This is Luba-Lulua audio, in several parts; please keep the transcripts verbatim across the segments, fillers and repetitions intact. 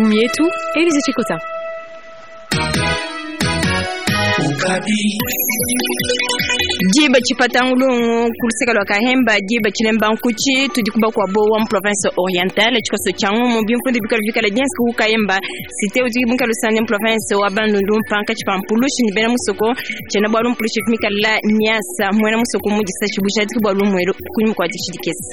Mietu, Elise Chikota. Diba tshipatangulungu kuluseka lwa kahemba diba tshilemba nkuchi tudi kuba kwa bowa mu province orientale tshikoso tshia ngumu bimfundi bikala bikala diensi ku kahemba cité udi mukala usande mu province wa bandundu mpanka tshipampulushi ni bena musoko tshiena bwalu mpulushi mikala miasa mwena musoko mudisa tshibujadiki bwa lumwelo kunyuma kwa ditshidikesi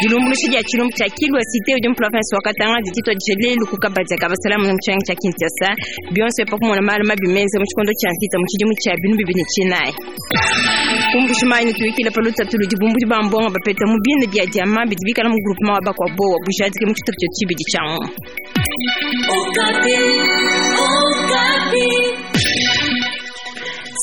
dilumbulushi dia tshilumbu tshia kilwa cité udi mu province wa katanga dititwa dishelelu kukabadia kabasalamu mu tshiangi tshia kinshasa bionso epakumona malu mabi menze mu tshikondo tshia mvita mu tshidimu tshia binu bibini tshinayi kumbushimani tuikila palutatu ludi bumbudi bambonga bapeta mu bine bia diama bidi bikala mu groupement wa bakwa bowa bujadike mu tshitupa tshibidi tshia ngumu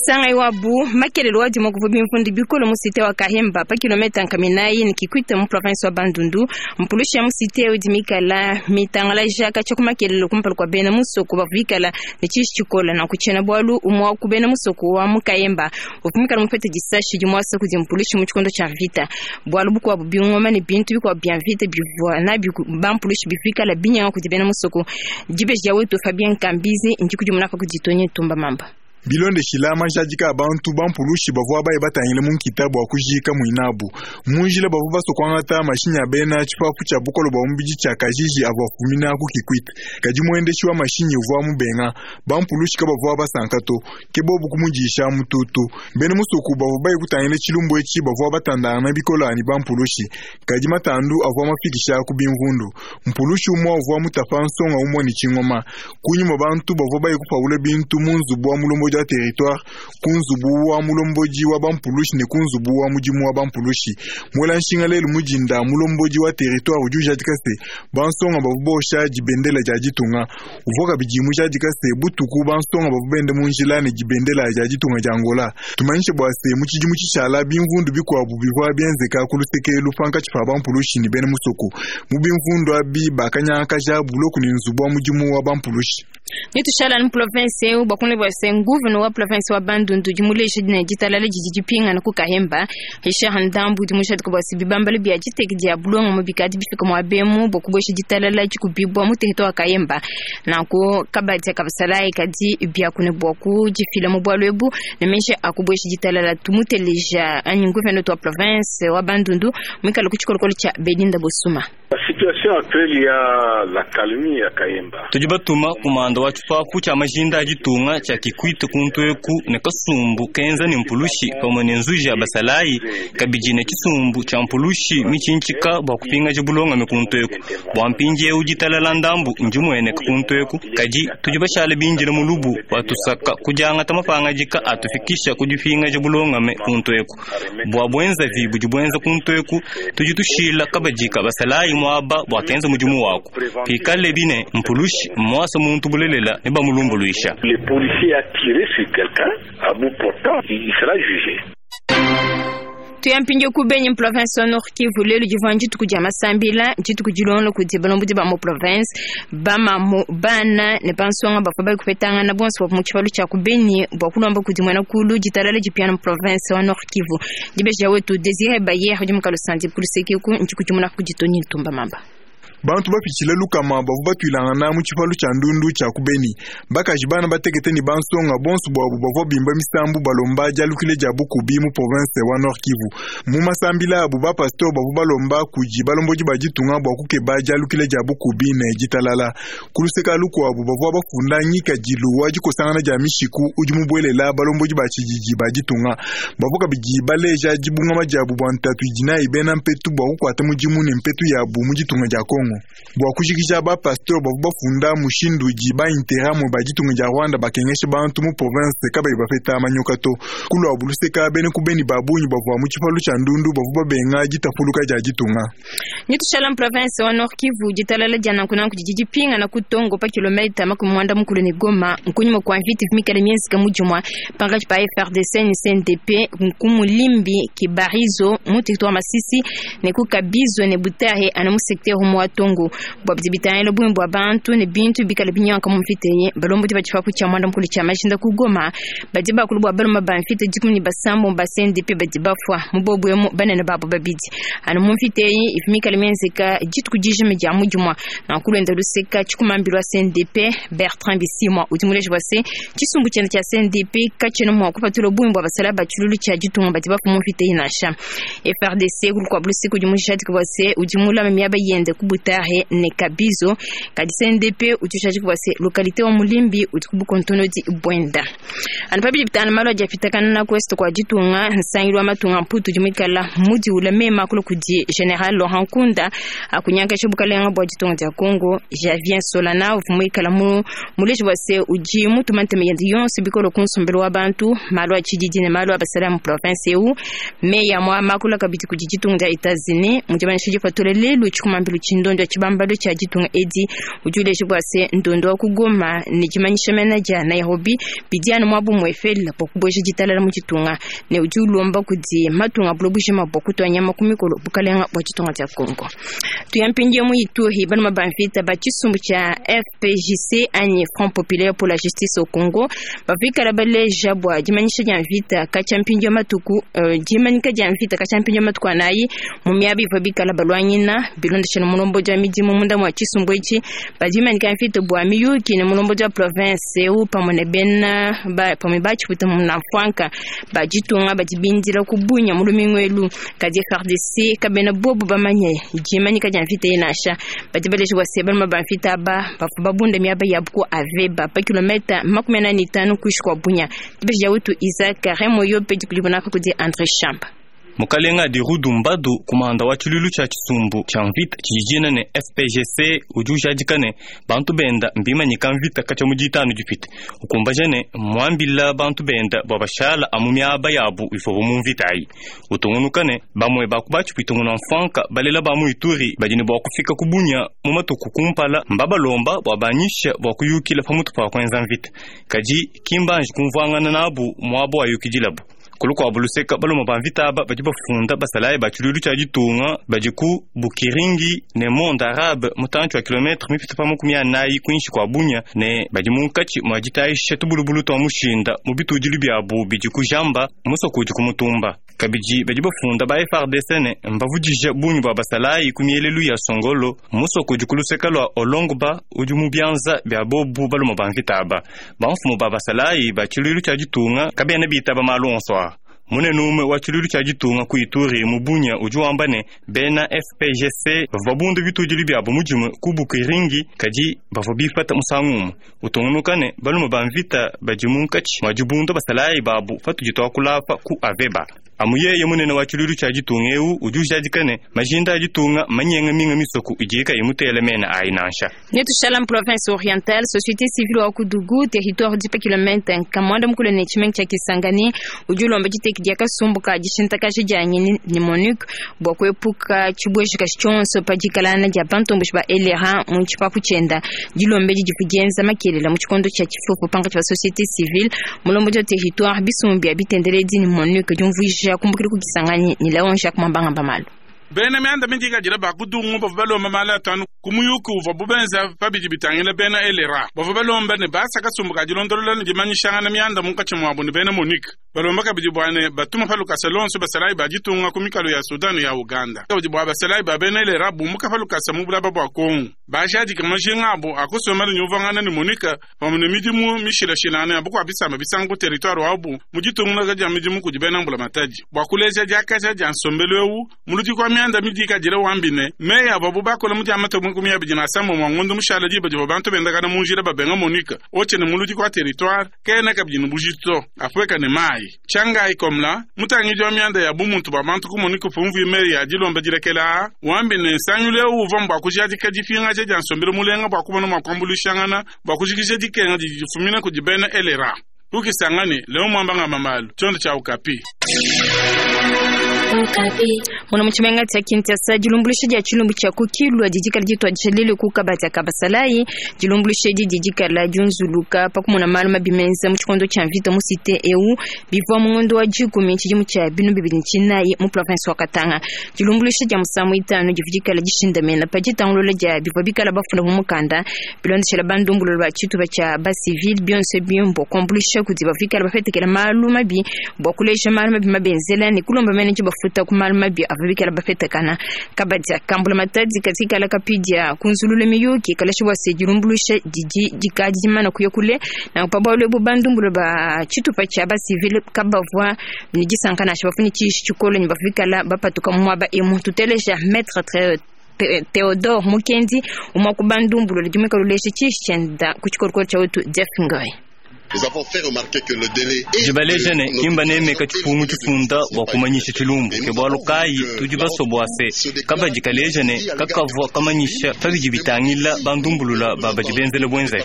sanga iwabu makelelo wa dimo kuvu bimfundi bikolo mu cité wa kahemba pa kilometa nkaminayi ni kikwita mu province wa bandundu mpulushi ya mu cité udi mikala mitangala jaka tshia kumakelelo kumpala kua bena musoko bavu bikala ne tshishi tshikola na kutshiena bualu umua ku bena musoko wa mu kahemba uvu mikala mupete disashi dimuasa kudi mpulushi mu tshikondo tshia mvita bualu bukuabu bingoma ne bintu bikuabu bia mvita bivua nabi bampulushi bivikala binyanga kudi bena musoko dibeji dia wetu Fabien Kambizi ndikudi munaka kuditonye tumba mamba. Bilondeshila majadika a bantu bampulushi bavua baye batangile mu nkita bua kujika muinabu munjila bavua basokwangata mashinyi a bena tshipapu tshia bukolo bua mubidi tshia kajiji avua afumina ku kikwita kadi muendeshi wa mashinyi uvua mubenga bampulushi kabavua basanka to ke bobu kumudisha mututu bena musoku bavua baye kutangile tshilumbu etshi bavua batandana bikola ni bampulushi kadi matandu avua mafikisha ku bimvundu mpulushi umua uvua mutapa nsonga umua ni tshingoma kunyuma bantu bavua baye kupaula bintu mu nzubu wa mulombodi wa territoire kunzubu wa mulombodi wa bampulushi ne kunzubu wa mudimu wa bampulushi mwela nshinga lelu mujinda mulombodi wa territoire udi ujadika se bansonga bavua bosha dibendela dia ditunga uvua kabidi mujadika se butuku bansonga bavua bende mu njila ne dibendela dia ditunga dia Angola tumanyishe bua se mu tshidimu tshishala bimvundu bikuabu bivua bienzeka ku luseke lupankatshi pa bampulushi ne bena musoko mu bimvundu abi bakanyangakaja buloku ne nzubu wa mudimu wa bampulushi. Nitushala ni province eu bakune bwa se nguveno wa province wa Bandundu dimuleje dine ditalala didi dipingana ku Kahemba Richard Ndambu dimushadi ko basi bibambalo bia diteki dia bulonga mu bikadi bifika mu abemu bokubwesha ditalala dikubibwa mu territoire wa Kahemba nanko kabadi kabasalai kadi bia kune bwa ku difila mu bwalu ebu ne meshe akubwesha ditalala tumuteleja anyi nguveno wa province wa Bandundu mwikala ku tshikolokolo tsha Belinda Bosuma. La situation actuelle, il y a la calmie à Kayemba. Tudi batuma kumanda wa tshipapu tshia majinda a ditunga tshia kikwita kuntweku ne kasumbu kenza ne mpulushi pamue ne nzuji ya basalayi kabidi ne tshisumbu tshia mpulushi mitshintshika bua kupingaja bulongame kuntweku bua mpindiewu ditalala ndambu ndimueneka kuntweku kadi tudi bashala bindile mulubu batusaka kudiangata mapangadika atufikisha kudipingaja bulongame kuntweku bua buenzavi budi buenza kuntweku tudi tushila kabadika basalayi mwaba bua kenza mudimu wako pikale bine mpulushi mwasa muntu bulelela ne bamulumbuluisha. Le policier a tiré sur quelqu'un à bout portant, il sera jugé. Tuyampinge ku Beni province wa Nord Kivu lelu divua ndituku dia masambila ndituku dilonga kudi balombodi ba mu province bamamu bana ne bansonga bavua bali kupetangana bonso bavua mu tshipalu tshia ku Beni bua kulomba kudi muena kulu ditalala dipiana mu province wa Nord Kivu dibeji ya wetu Desire Bayer udi mukalo sandi kulusekeku ndikudimuna kuditoni ntumba mamba. Bantu bapitshile lukama bavua batuilangana mu tshipalu tshia ndundu tshia ku Beni bakaji bana batekete ne bansonga bonso bwabu bavua bimba misambu balomba dialukile dia bukubi mu province wa Nord Kivu mu masambila abu bapasteur bavua balomba kudi balombodi ba ditunga bua kukeba dialukile dia bukubi ne ditalala kuluseka lukuabu bavua bafunda ngikadilu wa dikosangana dia mishiku udi mubuelela balombodi ba tshididi ba ditunga bavua kabidi baleja dibungama diabu bua ntatu idi nayi bena mpetu bua kukuata mudimu ne mpetu yabu mu ditunga dia Kongo bua kujikija bapasteur bavua bafunda mushindu udi ba-interahamwe ba ditunga dia Rwanda bakengesha bantu mu province kabayi bapeta manyoka to kuluabu luseka bene ku beni ba bungi bavua mu tshipalu tshia ndundu bavua babenga ditapuluka dia ditunga. Nitushala mu province wa Nord Kivu ditalala dia nankunanku didi dipingana ku Tongo pa kilomita makumi muanda mukulu ne Goma nkunyuma kua mvita mikale mienzeka mu dimua pankatshi pa F R D C ne C N D P ku Mulimbi Kibarizo mu territoire Masisi ne ku Kabizo ne Butare ana mu secteur mu wa Tongo bua bidi bitangila bungi bua bantu ne bintu bikala binyanka mu mvita eyi. Balombodi ba tshipapu tshia mwanda mukulu tshia majinda ku Goma badi bakulu bua baluma ba mvita dikumi ne basambo ba C N D P badi bafua mu bobu emu banene babo babidi. Anu mu mvita eyi ivi mikala mienzeka dituku dijima dia mudimua nanku lwenda luseka tshikumambilu wa C N D P Bertrand Bisimwa udi muleji bua se tshisumbu tshiende tshia C N D P katshiena mua kupatula bungi bua basala ba tshilulu tshia ditunga badi bafua mu mvita eyi nansha. F R D C kulukuabu luseka udi mujadika bua se udi mulame miaba yende ku Butare ne Kabizo, kadi C N D P udi ujadika bua se localité wa Mulimbi udi ku bukontonodi bwenda. Anu pabidi bitanu malu adi apitakana na ku est kua ditunga nsangilu wa matunga mputu udi muikala mudiula mema kulu kudi General Laurent Nkunda akunyankesha bukalenga bua ditunga dia Congo. Javier Solana uvua muikala mu muleji bua se udi mutuma ntema yende yonso bikolo ku nsombelu wa bantu malu a tshididi ne malu a basala mu province eu. Meya mwa makula kabidi kudi ditunga dia Etats-Unis mudimanyisha dipatula lelu tshikumambilu tshindondo tshibambalo tshia ditunga edi udi uleja bua se ndondo wa ku Goma ne dimanyisha mena dia Nairobi bidi anu mwabu muefela bua kubueja ditalala mu ditunga ne udi ulomba kudi matunga bulo bujima bua kutua nyama ku mikolo bukalenga bua ditunga dia Congo. Tuyampingie mu Ituri baluma ba mvita ba tshisumbu tshia F P J C anyi Front Populaire pour la Justice au Congo bavikala baleja bua dimanyisha dia mvita katshia mpindio matuku uh, dimanyika dia mvita katshia mpindio matuku anayi mu miaba ivua bikala balwanyina bilondeshana mulombodi wa midimu munda mua tshisumbu etshi badimanyika mvita bua miyuki ne mulombodi wa province eu pamue ne bena ba pamue batshiputa muna mfwanka ba ditunga badi bindila ku bunya mu lumingu elu. Kadi F R D C kabena bobu bamanye dimanyika dia mvita nansha badi baleja bua se baluma ba mvita aba bavua babunda miaba yabu ku Aveba pa kilometa makumi anayi ne itanu kuishi kua bunya. Dibeji dia wetu Isaac Remoyo pe dikulibona kudi André Chamba. Mukalenga adi Rudumbadu kumanda wa tshilulu tshia tshisumbu tshia mvita tshijijina ne F P G C udi ujadika ne bantu benda mbimanyika mvita katshia mu ditanu dipite ukumbaja ne muambila bantu benda bua bashala amu miaba yabu ivobo mu mvita ayi utungunuka ne bamue bakubatshipita nguna mfanka balela ba mu Ituri badi ne bua kufika ku bunya mu matuku kumpala mbabalomba bua banyisha bua kuyukila pamutu pa kuenza mvita kadi kimbanji kumvuangana nabu muabo wayukidilabu. Kulukuabu luseka baluma ba mvita aba badi bafunda basalayi ba tshilulu tshia ditunga badi ku Bukiringi ne monde arabe mutantshi wa kilometre mipita pa makumi anayi kuinshi kua bunya ne badi munkatshi mua ditayisha tubulubulu tua mushinda mu bitudilu biabu bidi ku jamba musoko udi ku mutumba. Kabidi badi bafunda ba F R D C ne mbavudija bungi bua basalayi ku mielelu ya Songolo musoko udi ku luseka lua Olongba udi mu bianza bia bobu baluma ba mvita aba. Bamfumu ba basalayi ba tshilulu tshia ditunga kabena bitaba malu onso aa. Munene umwe wa tshilulu tshia ditunga ku Ituri mu bunya udi wamba ne bena F P G C bavua bundu bitudilu biabu mudimu ku Bukiringi kadi bavua bipata musangu umwe utungunuka ne baluma ba mvita badi munkatshi mua dibunda basalayi babu patudi tuakulapa ku Aveba. Amu yeye munene wa tshilulu tshia ditunga eu udi ujadika ne majinda a ditunga manyenga minga misoko idi kayi mutele mena ayi nansha. Netushala mu province orientale société civile wa Kudugu territoire dipa kilomètre nkamwanda mukulu ne tshimenga tshia Kisangani udi ulomba diteki dia kasumbu ka dishintakaja dia ngenyi ne MONUC bua kuepuka tshibuejika tshionso pa dikalana dia bantomboshi ba L R A mu tshipapu tshienda. Dilombe didi kudienza makelela mu tshikondo tshia tshifufu pankatshi ba société civile mulombodi wa territoire bisumbu bia bitendeledi ne MONUC diumvuija kumbukila ku Kisangani ni Laon Jacques Mambanga Mbamalo. Bena mianda mingi kadira bakudungu bavua balomba mala atanu ku muyuki uvua bubenza pabidi bitangila bena L R A. Bavua balomba ne basa kasumbu ka dilondolola ne dimanyishangana mianda munkatshi muabu ne bena MONUC. Balomba kabidi bua ne batuma pa lukasa lonso basalayi ba ditunga ku mikalo ya Sudan ya Uganda. Kabidi bua basalayi ba bena L R A bumuka pa lukasa mu bulaba bua Kongo. Bajadika majinga abu akusoma ne nyuvangana ne MONUC pamue ne midimu mishilashilane ya bukua bisamba bisanga ku territoire wabu mu ditunga dia midimu kudi bena mbulamatadi. Bua kuleja diakaja dia nsombelu eu muludi kwa mianda midi kadira wambine meya babu bakola mu diamata mu kumya bidi na sambo mwa ngondo mushala diba diba bantu bendakana mu njira babenga MONUC oche ne muludi kwa territoire kena kabidi ne bujito afweka ne mai changai komla mutangi wa mianda ya bumuntu ba bantu ku MONUC fumvu meya dilomba dilekela wambine nsanyule uva mbwa kujadika difinga dia nsombelu mulenga bwa kubona makwambulishangana bwa kujikisha dikenga difumina kudi bena L R A. Kukisangani leo mwambanga mamalu chondo cha Okapi. Muna muchimenga tya Kinshasa dilumbuluisha dia tshilumbu tshia kukilwa didikala dituadija lelu ku kabadi ka basalayi. Dilumbuluisha edi didikala diunzuluka pakumona malu mabi menza mu tshikondo tshia mvita mu cité eu bivua mu ngondo wa dikumi tshidimu tshia binu bibidi ne tshinayi mu province wa Katanga. Dilumbuluisha dia musangu itanu dividikala dishindamena pa ditangulula dia bivua bikala bafunda mu mukanda bilondeshela bandumbulula ba tshitupa tshia basivile bionso bimbo kuambuluisha kudi bavikala bapetekela malu mabi bua kuleja malu mabi mabenzela ne kulomba mene bafuta ku malu mabi avabikala bapetekana. Kabadi kambula matadi katikala kapidia kunzulula miyuki kalashi bua se dilumbuluisha didi dikadi dimana kuya kule na pabwalo ebu bandumbulula ba tshitupa tshia basivile kabavua ne disanka nansha bafuni tshishi tshikolo ne bavikala bapatuka mu muaba emu. Tuteleja maître Theodore Mukendi umwa ku bandumbulula dimweka lulesha tshishi tshienda ku tshikorokoro tshia wetu Jeff Ngoy. Dibaleja ne kimba nemeka tshipungu tshifunda bua kumanyisha tshilumbu ke bualu kayi tudi baso bua se kabadi kaleja ne kakavua kamanyisha pabidi bitangila bandumbulula babadi benzele buenzavi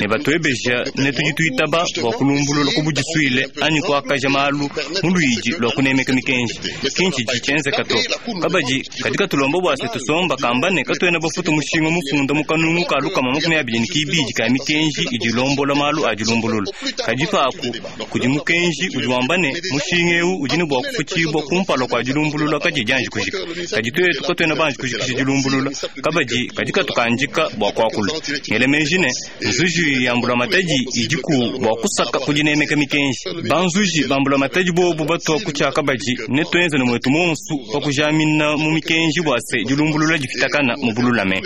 ne batuebeja ne tudi tuitaba bua kulumbulula kubudisuile anyi kuakaja malu mu luidi lua kunemeka mikenji kinchi ditshienzeka to. Kabadi kadi katulomba bua se tusomba kamba ne katuena bafuta mushinga mufunda mu kanungu ka lukama makumi abidi ne kibidi ka mikenji idi ilombola malu a dilumbulula. Kadi paku kudi mukenji udi wamba ne mushinga eu udi ne bua kufutshibua kumpala kua dilumbulula kadi dianji kujika. Kadi tuetu katuena banji kujikisha dilumbulula kabadi kadi katukandika bua kuakula. Ngele meji ne nzuji ya mbulamatadi idiku bua kusaka kudinemeka mikenji. Banzuji ba mbulamatadi bobu batua kutshia kabadi ne tuenze ne mwetu monsu pa kujamina mu mikenji bua se dilumbulula difitakana mu bululame.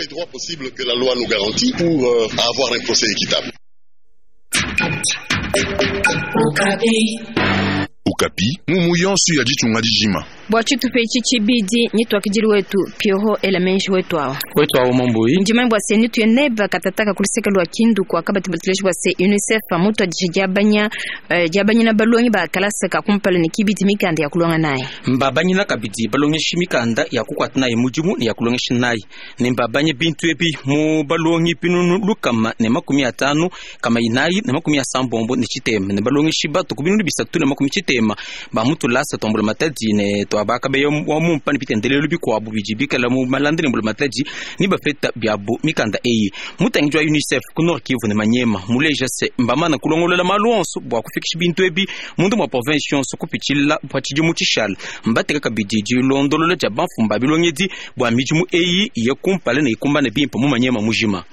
Okapi, mumu yonso ya ditunga dijima. Bua tshitupa etshi tshibidi nituakidili wetu Pierrot Elamenji wetu awa. Wetu awa Mambui. Ndima bua se nituye neba katataka kuluseka lua Kindu kwa kabati batuleshi bua se UNICEF mutu adisha diabanya uh, diabanyina balongi ba kalasa ka kumpala ne kibidi mikanda ya kulonga naye. Mbabanyina kabidi balongeshi mikanda ya kukwata naye mudimu ne ya kulongesha naye. Ne mbabanye bintu ebi mu balongi pinunu lukama ne makumi atanu kama inayi ne makumi asambombo ne tshitema ne balongeshi batu ku binunu bisatu ne makumi tshitema ba mutulasa tombula matadi ne twabaka beyo wa mumpa ne bitendelelo bikuabu bidi bikala mu malanda ne mbula matadi ni bafeta biabu mikanda eyi. Mutangi wa UNICEF ku Nord Kivu ne Manyema muleja se mbamana kulongolola malu onso bua kufikisha bintu ebi mundu mwa province yonso kupitshila patshidi mu tshishala. Mbateka kabidi dilondolola dia bamfumba bilongedi bua midimu eyi ye kumpala ne ikumbane bimpe mu Manyema mujima.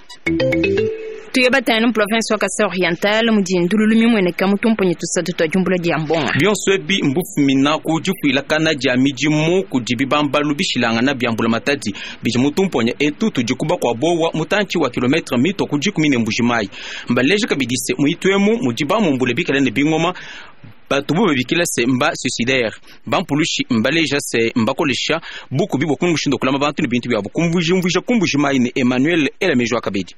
Tuye batana mu province wa Kasai Oriental mudi ndululu mimweneka mutumponyi tusatu twa jumbula dia mbonga. Bionso ebi mbufumina ku difuilakana dia midimu kudi bibambalu bishilangana bia mbula matadi bidi mutumponya etu tudi kuba kwa bowa mutantshi wa kilometre mito ku dikumi ne mbujimayi. Mbaleje kabidi se muituemu mudi bamumbule bikale ne bingoma batubu babikila se mba suicidaire bampulushi mbaleja se mbakolesha buku bibwa kungushindo kulama bantu ne bintu byabo kumbujimvuja kumbujimayi ne Emmanuel Elamejo akabedi.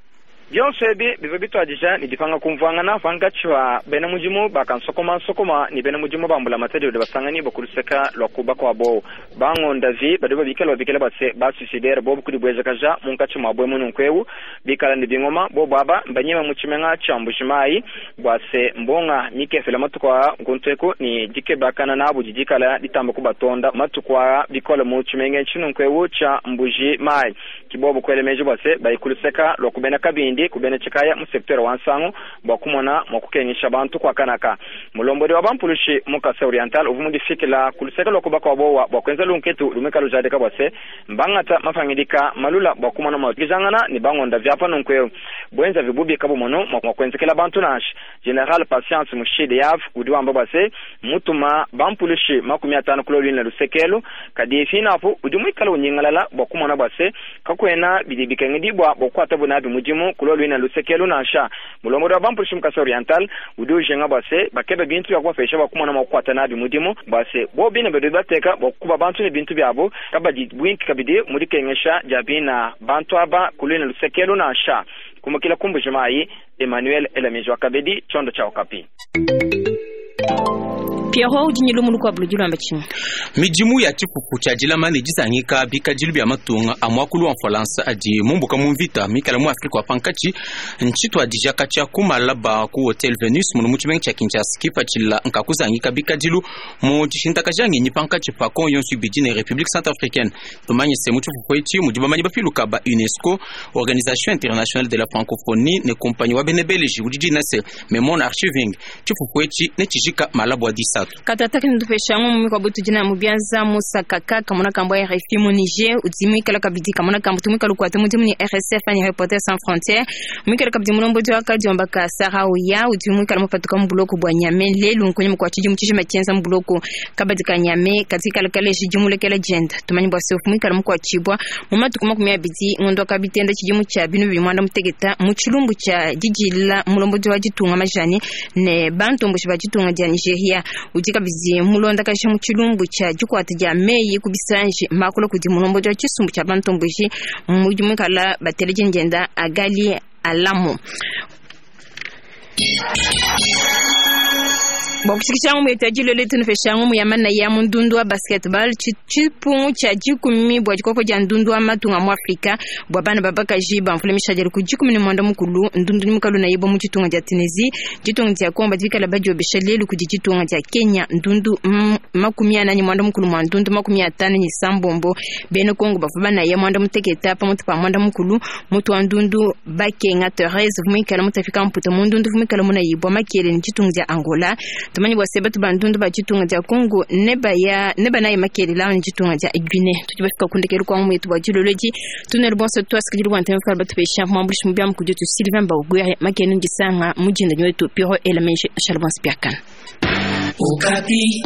Bionso ebi bivua bituadija ne dipanga kumvuangana pankatshi pa bena mudimu bakansokoma-nsokoma ne bena mudimu ba mbulamatadi badi basangani bakuluseka lua kuba kuabo bangondavi badi babikala babikala base basuicidaire bobu kudibuejakaja munkatshi muabo emu nunku bikala ne bingoma bobu aba mbanyema mu tshimenga tshia Mbujimayi bua se mbonga mikefela matuku aa nkuntu eku ne dikebakana nabu didikala ditamba kubatonda matuku aa bikole mu tshimenga tshinunku tshia Mbujimayi kibobu kuelemeji bua se bayikuluseka lua kubena kabindi kubena tshikaya mu secteur wa Nsangu bua kumona mua kukengesha bantu kwa kanaka. Mulombodi wa bampulushi mu Kasai Oriental uvu mudifikila kuluseka lua kuba kuabo bua kuenza lunketu lumeka lujadika bua se mbangata mafangidika malula bua kumona mua kujangana ne bangonda vyapa nunku bwenza vibubi kabumono mua kuenzekela bantu nashi. General Patience Mushide Yav udi wamba bua se mutuma bampulushi makumi atano kulo lwina lusekelo kadi finapu udi muikala unyingalala bua kumona bua se kakwena bidi bikengedibwa bua kukwata bunabi mudimu kulo lwina lusekelo nansha. Mulombodi wa bampulushi mu Kasai Oriental udi ujenga bua se bakebe bintu bya kubapesha bua kumona mua kukwata nabi mudimu bua se bo bine badi bateka bua kukuba bantu ne bintu byabo kabadi bwinki kabidi mudikengesha dia bina bantu aba kulwina lusekelo nansha. Kumukila kumbujimayi Emmanuel Elamijo Kabedi chondo cha Okapi. Pierrot udi ne lumu lukuabu ludi luamba tshinyi? Midimu ya tshipupu tshia dilama ne dizangika bikadilu bia matunga a muakulu wa Mfalansa adi mumbuka mu mvita mikala mu Afrika wa pankatshi ntshituadija katshia ku malaba ku Hotel Venus muno mu tshimenga tshia Kinshasa kipatshila nkakuzangika bikadilu mu dishintakaja ngenyi pankatshi pa Kongo yonso ibidi ne République centrafricaine. Tumanye se mu tshipupu etshi mudi bamanyi bapiluka ba UNESCO, Organisation internationale de la francophonie ne compagnie wa bene Belgique udi dina se Memon Archiving. Tshipupu etshi ne tshijika malaba wa disatu. Katataka nitupesha ngumu kwa butu jina mubianza Musa Kaka kamona kambo ya R F I mu Niger utimwikala kabidi kamona kambo tumwikala kwa tumudimu ni R S F ni Reporters Sans Frontières mwikala kabidi mulombo jwa kadiomba ka Sarauya utimwikala mupatuka mbuloko bwa Nyame lelu nkonye mkwa chiji mchishi machenza mbuloko kabadi ka Nyame katika lekale jimulekele jenda tumanyi bwa sofu mwikala mkwa chibwa mumatu kuma kumya bidi ngondo kabitenda chijimu cha binu bimwanda mutegeta mu chilumbu cha jijila mulombo jwa jitunga majani ne bantu mbushi bajitunga ja Nigeria udi kabidi mulonda kasha mu chilumbu cha jikwata ja meyi kubisanje makolo kudi mulombo jwa chisumbu cha bantu mbushi mudi mwikala bateleje njenda agali alamu. Bokushikisha ngumu yetu leo tunufesha ngumu ya mana ya mundundu wa basketball chipungu cha jikumi bwa jikoko ja ndundu wa matunga mu Afrika bwa bana babaka jiba mfule mishajeri ku jikumi ni mwanda mukulu ndundu ni mukalu na yebo mu chitunga ja Tunisie jitunga ja Komba jikala bajo beshalelu ku jitunga ja Kenya ndundu makumi anani mwanda mukulu mwa ndundu makumi atano ni sambombo bene Kongo bafuba na ya mwanda muteketa pa mutu pa mwanda mukulu mutu wa ndundu bakenga Therese vumikala mutafika mputa mu ndundu vumikala muna yibwa makele ni chitunga ja Angola. Tumanyi bwa sebatu bandundu ba chitunga ja Kongo neba ya neba naye makele la ni chitunga ja Guinea. Tutibafika kundekelu kwa mwetu bwa jiloloji tunel bonso twasikili rwanda mfala batupesha mwambulishi mubya mkujo tu Sylvain Bagwere makele ndisanga mujinda nyetu Pierrot Elameshe Chalbons Piakan. Okapi.